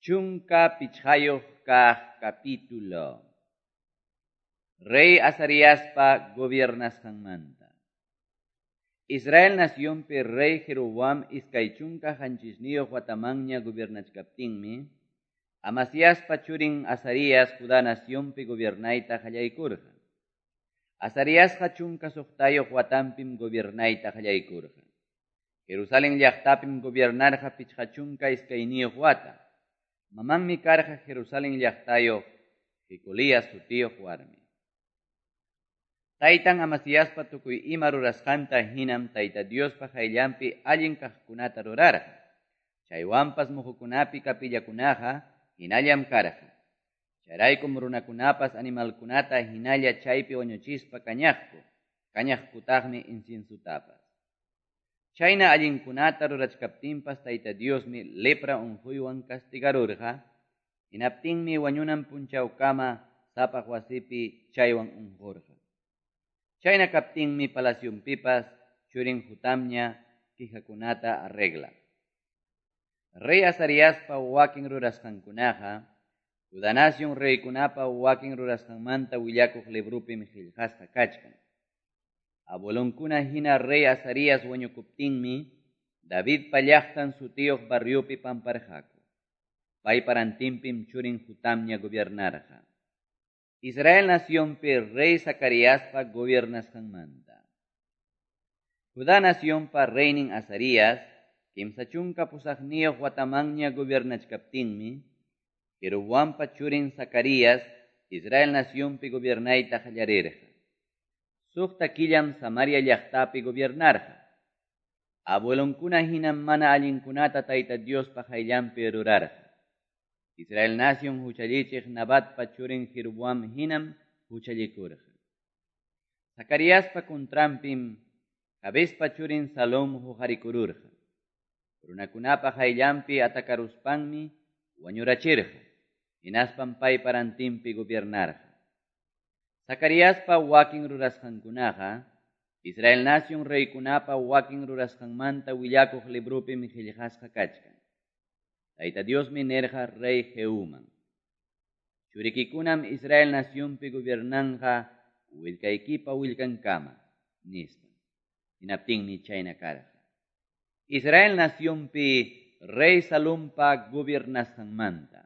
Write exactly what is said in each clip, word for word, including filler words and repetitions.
Chunka pichqayuq kaq capítulo. Rey Azariaspa gobiernasqanmanta. Israel nacionpi rey Jeroboam iskay chunka qanchisniyuq watamanña gobiernachkaptinmi, Amasiaspa churin Azarías Judá nacionpi gobiernayta qallaykurqa. Azariasqa chunka suqtayuq watanpim gobiernayta qallaykurqa. Jerusalén llaqtapim gobiernarqa pichqa chunka iskayniyuq wata. Mamanmi karqa Jerusalén llaqtayuq Jecolías sutiyuq warmi. Taytan Amasiaspa tukuy ima rurasqanta hinam Tayta Diospa qayllanpi allin kaqkunata rurarqa. Chaywanpas muhukunapi kapillakunaqa hinallam karqa. Chayraykum runakunapas animalkunata hinalla chaypi wañuchispa kañaqku, kañaqkutaqmi inciensutapas. Chayna allinkunata rurachkaptinpas Tayta Diosmi lepra unquywan castigarurqa, hinaptinmi wañunan punchawkama sapaq wasipi chaywan unqurqa. Chayna kaptinmi palacionpipas churin Jotamña quijakunata arregla. Rey Azariaspa wakin rurasqankunaqa, Judá nación reykunapa wakin rurasqanmanta willakuq librupim qillqasqa kachkan. Abuelonkuna hina rey Azarías wañukuptinmi, Davidpa llaqtan sutiyuq barriopi pamparqaku. Paypa rantinpim churin Jotamña gobiernarqa. Israel nacionpi rey Zacariaspa gobiernasqanmanta. Judá nacionpa reynin Azarías, kimsa chunka pusaqniyuq watamanña gobiernachkaptinmi, Jeroboampa churin Zacarías Israel nacionpi gobiernayta qallarirqa. Suqta killam Samaria llaqtapi gobiernarqa. Abuelonkuna hinam mana allinkunata Tayta Diospa qayllanpi rurarqa. Israel nación huchallichiq Nabatpa churin Jeroboam hinam huchallikurqa. Zacariaspa contranpim Jabespa churin Salom huqarikururqa. Runakunapa qayllanpi atakaruspanmi wañurachirqa. Hinaspam paypa rantinpi gobiernarqa. Zacariaspa wakin rurasqankunaqa, Israel nación reykunapa wakin rurasqanmanta willakuq librupim qillqasqa kachkan. Tayta Diosmi nirqa rey Jehuman: Churikikunam Israel nacionpi gobiernanqa willkaykipa willkankama, nispa. Hinaptinmi chayna karqa. Israel nacionpi rey Salumpa gobiernasqanmanta.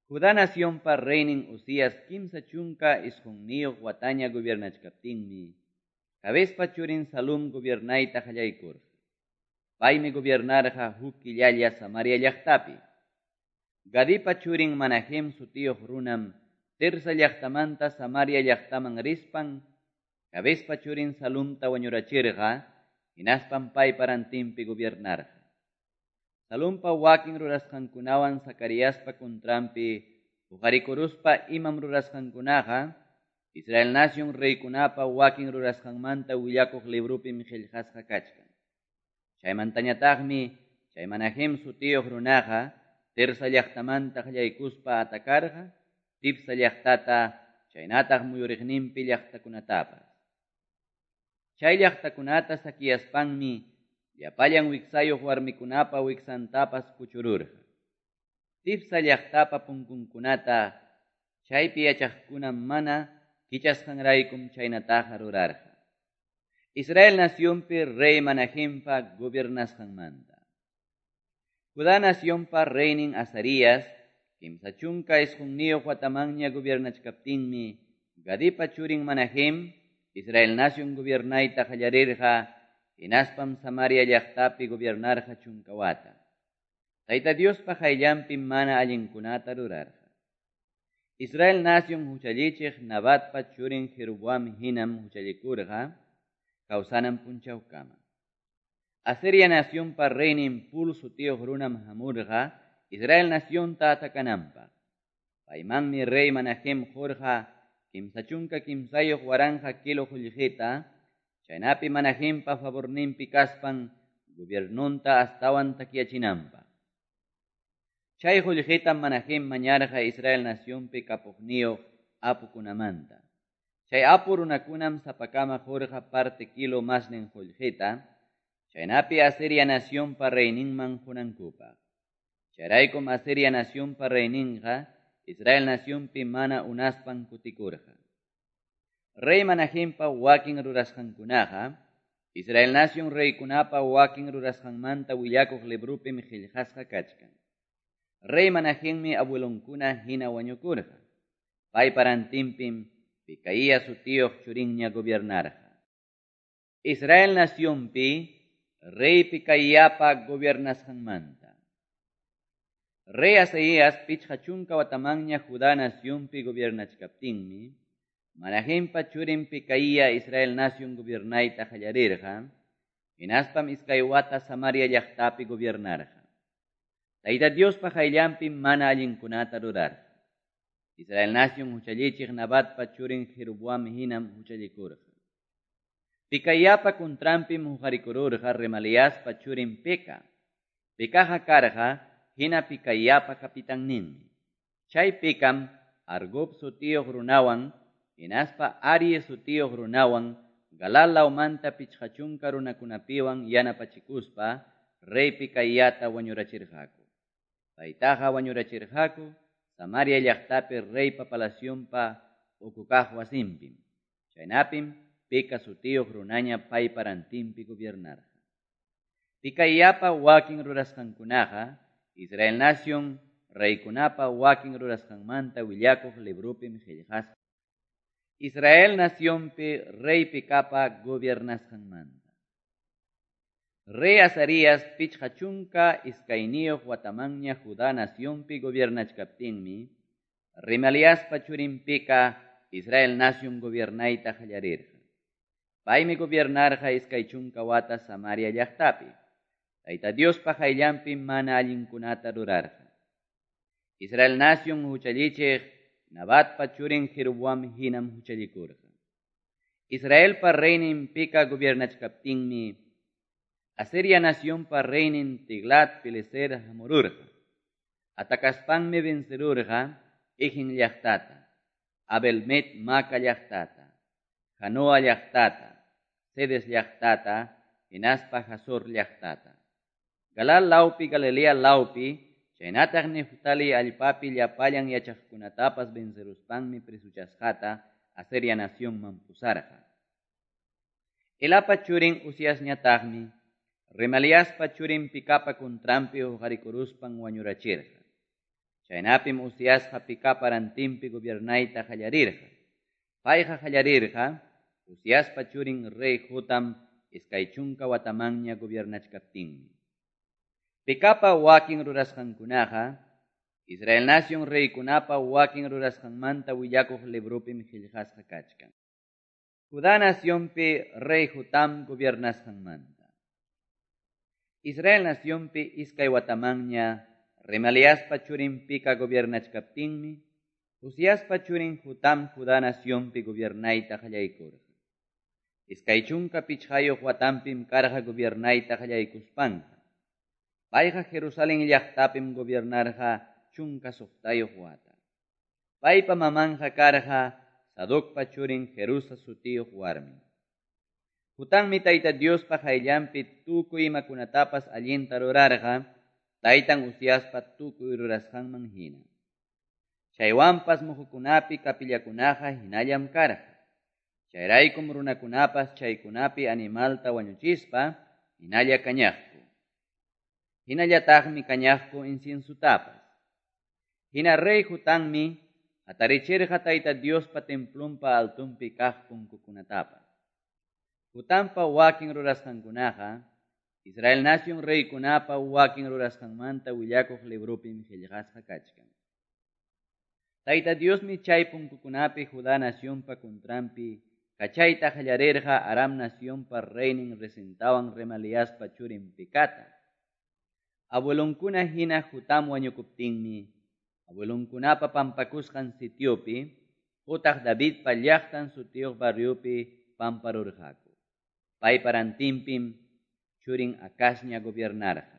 Judá nacionpa reynin Uzías kimsa chunka isqunniyuq wataña gobiernachkaptinmi, Jabespa churin Salum gobiernayta qallaykurqa. Paymi gobiernarqa huk killalla Samaria llaqtapi. Gadipa churin Manahem sutiyuq runam Tirsa llaqtamanta Samaria llaqtaman rispan, Jabespa churin Salumta wañurachirqa, hinaspam paypa rantinpi gobiernarqa. Salumpa wakin rurasqankunawan Zacariaspa contranpi huqarikuruspa imam rurasqankunaqa, Israel nación reykunapa wakin rurasqanmanta willakuq librupim qillqasqa kachkan. Chaymantañataqmi chay Manahem sutiyuq runaqa Tirsa llaqtamanta qallaykuspa atakarqa Tifsa llaqtata chaynataq muyuriqninpi llaqtakunatapas. Chay llaqtakunata saqueaspanmi llapallan wiksayuq warmikunapa wiksantapas kuchururqa. Tifsa llaqtapa punkunkunata chaypi yachaqkuna mana kichasqanraykum chaynataqa rurarqa. Israel nacionpi rey Manahempa gobiernasqanmanta. Judá nacionpa reynin Azarías, kimsa chunka isqunniyuq watamanña gobiernachkaptinmi, Gadipa churin Manahem, Israel nación gobiernayta qallarirqa, hinaspam Samaria llaqtapi gobiernarqa chunka wata. Tayta Diospa qayllanpi mana allinkunata rurarqa. Israel nación huchallichiq Nabatpa churin Jeroboam hinam huchallikurqa, kawsanan punchawkama. Asiria nacionpa reynin Pul sutiyuq runam hamurqa Israel nacionta atakananpaq. Paymanmi rey Manahem qurqa kimsa chunka kimsayuq waranqa kilo qullqita, chaynapi Manahempa favorninpi kaspan gobiernunta astawan takyachinanpaq. Chay qullqitam Manahem mañarqa Israel nacionpi kapuqniyuq apukunamanta. Chay apu runakunam sapakama qurqa parte kilo masnin qullqita, chaynapi Asiria nacionpa reyninman qunankupaq. Chayraykum Asiria nacionpa reyninqa Israel nacionpi mana unaspan kutikurqa. Rey Manahempa wakin rurasqankunaqa Israel nacion reykunapa wakin rurasqanmanta willakuq librupim qillqasqa kachkan. Rey Manahemmi abuelonkuna hina wañukurqa. Paypa rantinpim Pekaía sutiyuq churinña gobiernarqa. Israel nacionpi rey Pekaíapa gobiernasqanmanta. Rey Azaías pichqa chunka watamanña Judá nacionpi gobiernachkaptinmi, Manahempa churin Pekaía Israel nacion gobiernayta qallarirqa, hinaspam iskay wata Samaria llaqtapi gobiernarqa. Tayta Diospa qayllanpim mana allinkunata rurarqa. Israel nacion huchallichiq Nabatpa churin Jeroboam hinam huchallikurqa. Pekaiapa contranpim huqarikururqa Remaliaspa churin Peka. Pekaqa karqa hina Pekaiapa kapitanninmi. Chay Pekam Argob sutiyuq runawan hinaspa Arie sutiyuq runawan Galal lawmanta pichqa chunka runakunapiwan yanapachikuspa rey Pekaiata wañurachirqaku. Paytaqa wañurachirqaku Samaria llaqtapi reypa palacionpa ukukaq wasinpim. Chaynapim Peka sutiyuq runaña paypa rantinpi gobiernarqa. Pekaiapa wakin rurasqankunaqa Israel nacion reykunapa wakin rurasqanmanta willakuq librupim qillqasqa. Israel nacionpi rey Pekapa gobiernasqanmanta. Rey Azarías pichqa chunka iskayniyuq watamanña Judá nacionpi gobiernachkaptinmi, Remaliaspa churin Peka Israel nacion gobiernayta qallarirqa. Paymi gobiernarqa iskay chunka wata Samaria llaqtapi. Tayta Diospa qayllanpim mana allinkunata rurarqa. Israel nacion huchallichiq Nabatpa churin Jeroboam hinam huchallikurqa. Israelpa reynin Peka gobiernachkaptinmi, Asiria nacionpa reynin Tiglat Pileser hamururqa. Atakaspanmi vencerurqa Ijin llaqtata, Abelmet Maca llaqtata, Janoa llaqtata, Cedes llaqtata, hinaspa Hazor llaqtata. Galal lawpi Galilea lawpi, chaynataq Neftali allpapi llapallan yachaqkunatapas venceruspanmi presuchasqata Asiria nacionman pusarqa. Elapa churin Uziasñataqmi Remaliaspa churin Pekapa contranpi huqarikuruspan wañurachirqa. Chaynapim Uziasqa Pekapa rantinpi gobiernayta qallarirqa. Payqa qallarirqa Uziaspa churin rey Jotam iskay chunka watamanña gobiernachkaptinmi. Pekapa wakin rurasqankunaqa Israel nacion reykunapa wakin rurasqanmanta willakuq librupim qillqasqa kachkan. Judá nacionpi rey Jotam gobiernasqanmanta. Israel nacionpi iskay watamanña Remaliaspa churin Peka gobiernachkaptinmi, Uziaspa churin Jotam Judá nacionpi gobiernayta qallaykurqa. Iskay chunka pichqayuq watanpim karqa gobiernayta qallaykuspanqa. Payqa Jerusalén llaqtapim gobiernarqa chunka suqtayuq wata. Paypa mamanqa karqa Sadocpa churin Jerusa sutiyuq warmi. Jotammi Tayta Diospa qayllanpi tukuy imakunatapas allinta rurarqa, taytan Uziaspa tukuy rurasqanman hina. Chaywanpas muhukunapi kapillakunaqa hinallam karqa. Chayraykum runakunapas chaykunapi animalta wañuchispa hinalla kañaqku. Hinallataqmi kañaqku inciensutapas. Hina rey Jotammi hatarichirqa Tayta Diospa templonpa altunpi kaq punkukunatapas. Jotampa wakin rurasqankunaqa Israel nacion reykunapa wakin rurasqanmanta willakuq librupim qillqasqa kachkan. Tayta Diosmi chay punkukunapi Judá nacionpa contranpi kachayta qallarirqa Aram nacionpa reynin Rezintawan Remaliaspa churin Pekata. Abuelonkuna hina Jotam wañukuptinmi, abuelonkunapa pampakusqan sitiopi, utaq Davidpa llaqtan sutiyuq barriopi pamparurqaku. Paypa rantinpim churin Acazña gobiernarqa.